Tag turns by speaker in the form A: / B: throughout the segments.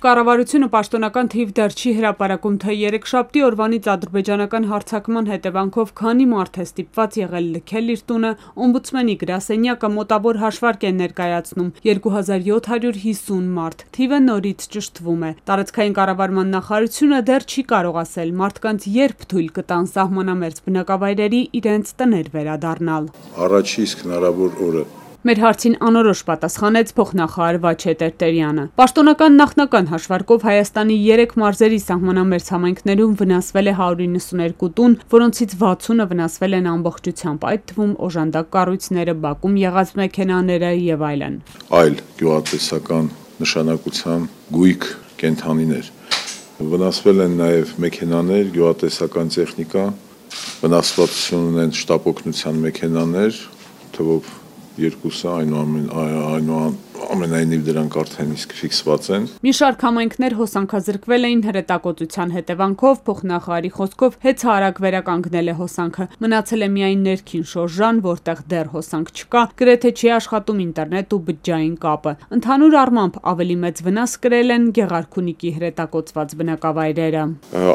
A: կառավարությունը պաշտոնական թիվ դեռ չի հրապարակում, թե երեքշաբթի օրվանից ադրբեջանական հարձակման հետևանքով քանի մարդ է ստիպված եղել լքել իր տունը, օմբուդսմենի գրասենյակը մոտավոր հաշվարկ է ներկայացնում՝ 2750 մարդ, թիվը նորից ճշտվում է։ Տարածքային կառավարման նախարարությունը դեռ չի կարող ասել մարդկանց երբ թույլ կտան սահմանամերձ բնակավայրերի իրենց տներ վերադառնալ։
B: Առաջի իսկ հնարավոր օրը
A: Մեր հարցին անորոշ պատասխանեց փոխնախարար Վաչե Տերտերյանը։ Պաշտոնական նախնական հաշվարկով Հայաստանի 3 մարզերի սահմանամերձ համայնքներում վնասվել է 192 տուն, որոնցից 60-ը վնասվել են ամբողջությամբ, այդ թվում օժանդակ կառույցները, բակում եղած մեքենաները եւ այլն։
B: Այլ գյուղատնտեսական նշանակության գույք կենդանիներ։ Վնասվել են նաեւ մեքենաներ, գյուղատնտեսական տեխնիկա, վնասվածություն ունեն շտապօգնության մեքենաներ, թվով երկուսը այնուամենայնիվ դրանք արդեն իսկ ֆիքսված են։
A: Մի շարք համայնքներ հոսանքազրկվել էին հրետակոծության հետևանքով, փոխնախարարի խոսքով հեծարակ վերականգնել է հոսանքը։ Մնացել է միայն ներքին շորժան, որտեղ դեռ հոսանք չկա, գրեթե չի աշխատում ինտերնետ ու բջջային կապը։ Ընդհանուր առմամբ ավելի մեծ վնաս կրել են Գեղարքունիքի հրետակոծված բնակավայրերը։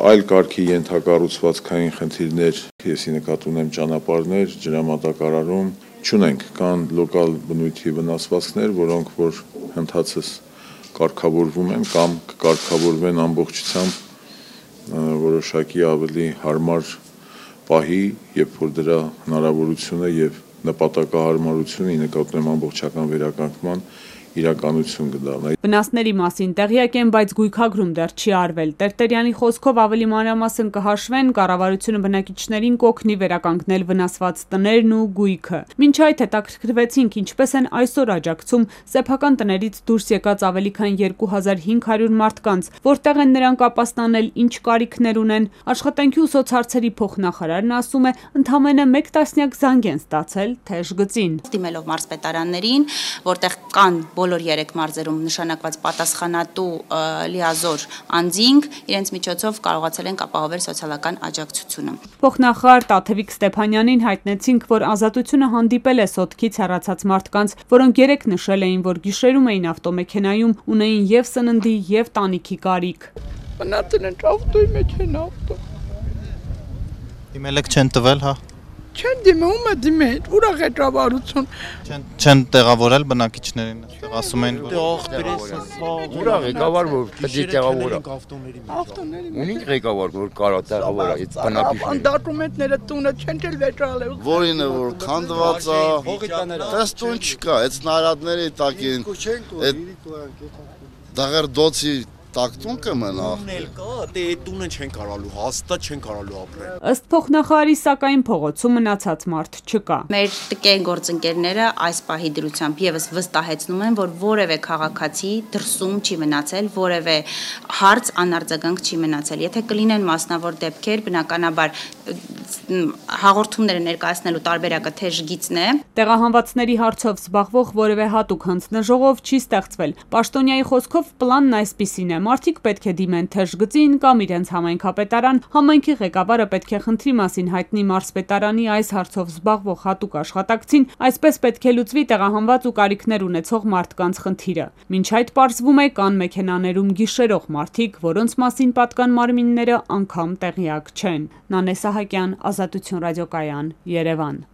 B: Այլ կարգի ենթակառուցվածքային խնդիրներ, եսի նկատի ունեմ ճանապարհներ, ջրամատակարարում չունենք, կան լոկալ բնույթի վնասվածքներ, որոնք որ հնդածս կարգավորվում են կամ կկարգավորվեն ամբողջությամբ որոշակի ավելի հարմար պահի, երբ որ դրա հնարավորությունը եւ նպատակահարմարությունը նկատի ունեմ ամբողջական վերականգնման իրականություն կդառնա։
A: Վնասների մասին տեղյակ են, բայց գույքագրում դեռ չի արվել։ Տերտերյանի խոսքով ավելի մանրամասն կհաշվեն, կառավարությունը բնակիչներին կօգնի վերականգնել վնասված տներն ու գույքը։ Մինչ այդ հետաքրքրվեցինք, ինչպես են այսօր աջակցում սեփական տներից դուրս եկած ավելի քան 2500 մարդկանց, որտեղ են նրանք ապաստանել, ինչ կարիքներ ունեն։ Աշխատանքի ու սոցհարցերի փոխնախարարն ասում է, ընդամենը 1 տասնյակ զանգ են ստացել թեժ գծին։
C: Դիմելով մարզպետարաններին, որտեղ կան բոլոր 3 մարզերում նշանակված պատասխանատու լիազոր անձինք, իրենց միջոցով կարողացել ենք ապահովել սոցիալական աջակցությունը։
A: Փոխնախարար Տաթևիկ Ստեփանյանին հայտնեցինք, որ Ազատությունը հանդիպել է սոտքից հեռացած մարդկանց, որոնք երեք նշել էին, որ գիշերում էին ավտոմեքենայում, ունեին եւ սննդի եւ տանիքի կարիք։
D: Մնացել են ավտոյի մեջ են ավտո։
E: Դիմել եք չեն տվել, հա։
D: Չեն դիմում է դիմել, ուրախ է ճավարություն։
E: Չեն տեղավորել բնակիչներին, ասում են
F: ուրախ ղեկավար որ պետք է տեղավորը։
D: Ավտոների
F: Ունի ղեկավար որ կարա տեղավորը այդ բնակիչներին։
D: Դոկումենտները տունը չեն էլ վերջալել։
G: Որին է որ քանդված է, դες տուն չկա, այդ նարադների տակ են, այդ դաղերդոցի տակտուն կմնա։
H: Ունել կա, դե այդ տունը չեն կարալու, հաստատ չեն կարալու ապրել։
A: Ըստ փոխնախարարի, սակայն փողոցում մնացած մարդ չկա։
C: Մեր տկեն գործընկերները այս պահի դրությամբ եւս վստահեցնում են, որ որևէ քաղաքացի դրսում չի մնացել, որևէ հարց անարձագանք չի մնացել։ Եթե կլինեն մասնավոր դեպքեր, բնականաբար հաղորդումները ներկայացնելու տարբերակը թեժ գիծն է։
A: Տեղահանվածների հարցով զբաղվող որևէ հատուկ հանձնաժողով չի ստեղծվել։ Պաշտոնյայի խոսքով պլանն այսպիսին է. մարդիկ պետք է դիմեն թեժ գծին կամ իրենց համայնքապետարան, համայնքի ղեկավարը պետք է խնդրի մասին հայտնի մարզպետարանի այս հարցով զբաղվող հատուկ աշխատակցին, այսպես պետք է լուծվի տեղահանված ու կարիքներ ունեցող մարդկանց խնդիրը։ Մինչ այդ պարզվում է կան մեքենաներում գիշերող մարդիկ, որոնց մասին պատկան մարմինները անգամ տեղյակ չեն։ Նանե Սահակյան, Ազատություն ռադիոկայան, Երևան։